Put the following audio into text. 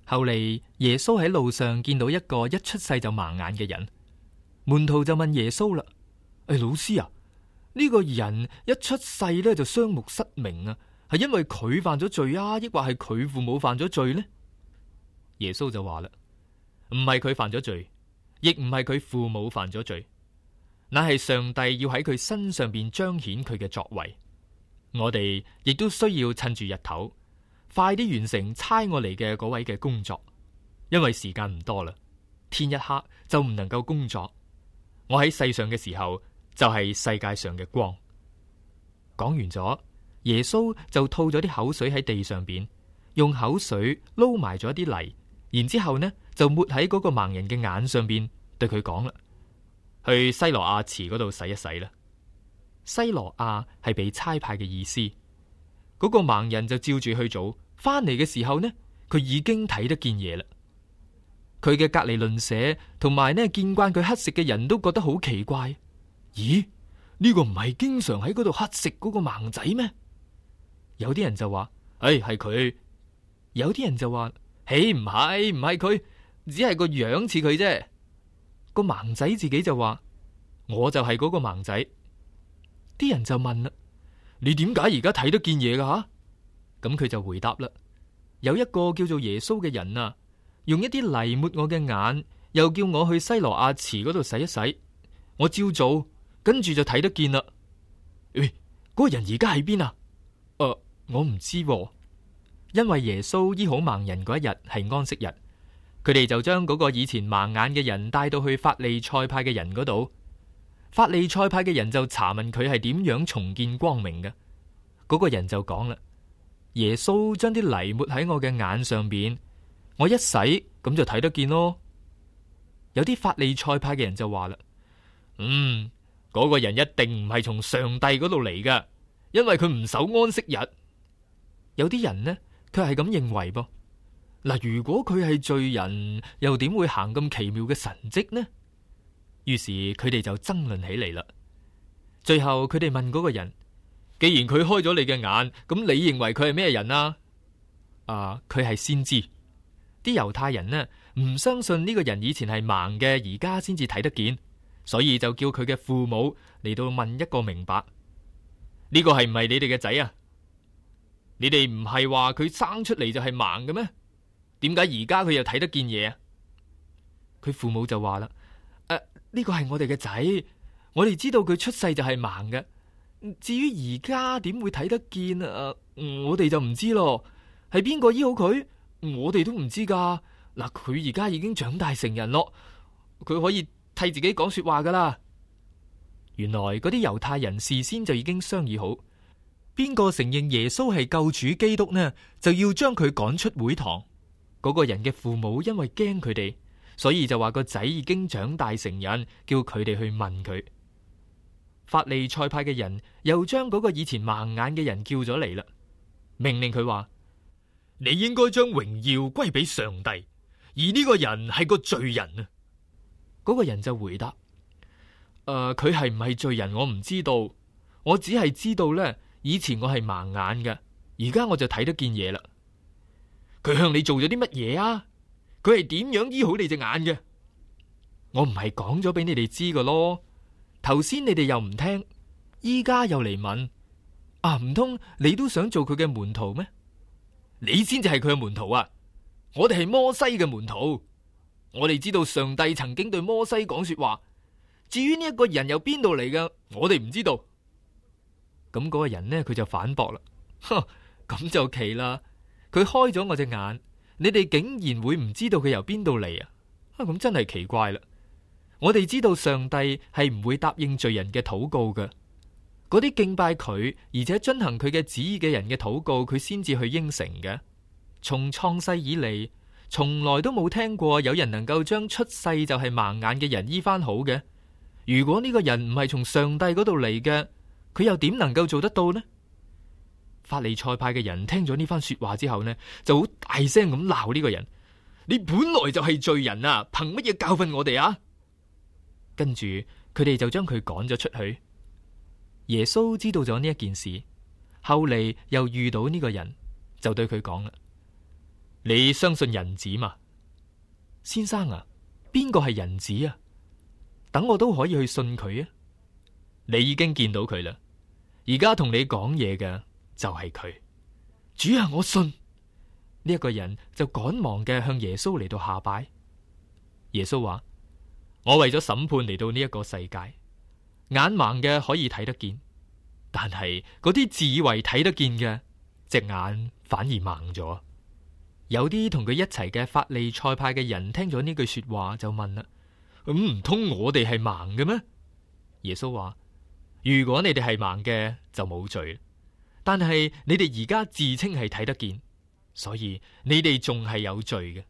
後嚟耶穌喺路上見到一個一出世就盲眼嘅人，門徒就問耶穌啦：老師啊，呢個人一出世咧就雙目失明啊，係因為佢犯咗罪啊，抑或係佢父母犯咗罪呢？耶穌就話啦：唔係佢犯咗罪，亦唔係佢父母犯咗罪，乃係上帝要喺佢身上邊彰顯佢嘅作為。我哋亦都需要趁住日頭，快啲完成差我嚟嘅嗰位嘅工作，因為時間唔多啦，天一黑就唔能夠工作。我喺世上嘅時候就係世界上嘅光。講完咗，耶穌就吐咗啲口水喺地上邊，用口水撈埋咗啲泥，然之後呢就抹喺嗰個盲人嘅眼上邊，對佢講啦：去西羅亞池嗰度洗一洗啦。西羅亞係被差派嘅意思。嗰個盲人就照住去做，翻嚟嘅時候呢，佢已經睇得見嘢啦。佢嘅隔籬鄰舍同埋呢見慣佢乞食嘅人都覺得好奇怪。咦？呢個唔係經常喺嗰度乞食嗰個盲仔咩？有啲人就話：係佢。有啲人就話：唔係佢，只係個樣似佢啫。個盲仔自己就話：我就係嗰個盲仔。啲人就問啦：你點解而家睇得見嘢噶吓？咁佢就回答啦：有一個叫做耶穌嘅人啊，用一啲泥抹我嘅眼，又叫我去西羅亞池嗰度洗一洗，我照做，跟住就睇得見啦。嗰個人而家喺邊啊？我唔知喎。因為耶穌醫好盲人嗰一日係安息日，佢哋就將嗰個以前盲眼嘅人帶到去法利賽派嘅人嗰度。法利賽派嘅人就查問佢係點樣重見光明嘅。嗰個人就講啦：耶穌將啲泥抹喺我嘅眼上邊，我一洗咁就睇得見咯。有啲法利賽派嘅人就話啦：嗰個人一定唔係從上帝嗰度嚟噶，因為佢唔守安息日。有啲人呢，佢係咁認為噃。嗱，如果佢係罪人，又點會行咁奇妙嘅神蹟呢？於是佢哋就爭論起嚟啦。最後佢哋問嗰個人：既然佢開咗你嘅眼，咁你認為佢係咩人啊？佢係先知。啲猶太人呢，唔相信呢個人以前係盲嘅，而家先至睇得見，所以就叫佢嘅父母嚟到問一個明白：呢個係唔係你哋嘅仔啊？你哋唔係話佢生出嚟就係盲嘅咩？點解而家佢又睇得見嘢啊？佢父母就話啦：呢個係我哋嘅仔，我哋知道佢出世就係盲嘅。至於而家點會睇得見我哋就唔知咯。係邊個醫好佢？我哋都唔知噶。嗱，佢而家已經長大成人咯，佢可以替自己講說話噶啦。原來嗰啲猶太人事先就已經商議好，邊個承認耶穌係救主基督呢，就要將佢趕出會堂。嗰個人嘅父母因為驚佢哋，所以就話個仔已經長大成人，叫佢哋去問佢。法利賽派嘅人又將嗰個以前盲眼嘅人叫咗嚟啦，命令佢話：你應該將榮耀歸俾上帝，而呢個人係個罪人啊。嗰個人就回答：佢係唔係罪人我唔知道，我只係知道呢，以前我係盲眼嘅，而家我就睇得見嘢啦。佢向你做咗啲乜嘢啊？佢係點樣醫好你隻眼嘅？我唔係講咗俾你哋知㗎咯。頭先你哋又唔聽，依家又嚟問，唔通你都想做佢嘅門徒咩？你先至係佢嘅門徒啊！我哋係摩西嘅門徒，我哋知道上帝曾經對摩西講說話。至於呢一個人由邊度嚟嘅，我哋唔知道。咁嗰個人呢，佢就反駁啦：咁就奇啦！佢開咗我隻眼，你哋竟然會唔知道佢由邊度嚟啊？咁真係奇怪啦！我哋知道上帝係唔會答應罪人嘅禱告嘅，嗰啲敬拜佢而且遵行佢嘅旨意嘅人嘅禱告，佢先至去應承嘅。從創世以嚟，從來都冇聽過有人能夠將出世就係盲眼嘅人醫翻好嘅。如果呢個人唔係從上帝嗰度嚟嘅，佢又點能夠做得到呢？法利賽派嘅人聽咗呢番說話之後呢，就好大聲咁鬧呢個人：你本來就係罪人啊，憑乜嘢教訓我哋啊？跟住佢哋就將佢趕咗出去。耶穌知道咗呢一件事，後嚟又遇到呢個人，就對佢講啦：你相信人子嘛？先生啊，邊個係人子啊？等我都可以去信佢啊！你已經見到佢啦，而家同你講嘢嘅就係佢。主啊，我信。呢一個人就趕忙嘅向耶穌嚟到下拜。耶穌話：我為咗審判嚟到呢一個世界，眼盲嘅可以睇得見，但係嗰啲自以為睇得見嘅，隻眼反而盲咗。有啲同佢一齊嘅法利賽派嘅人聽咗呢句說話就問啦：咁唔通我哋係盲嘅咩？耶穌話：如果你哋係盲嘅就冇罪，但係你哋而家自稱係睇得見，所以你哋仲係有罪嘅。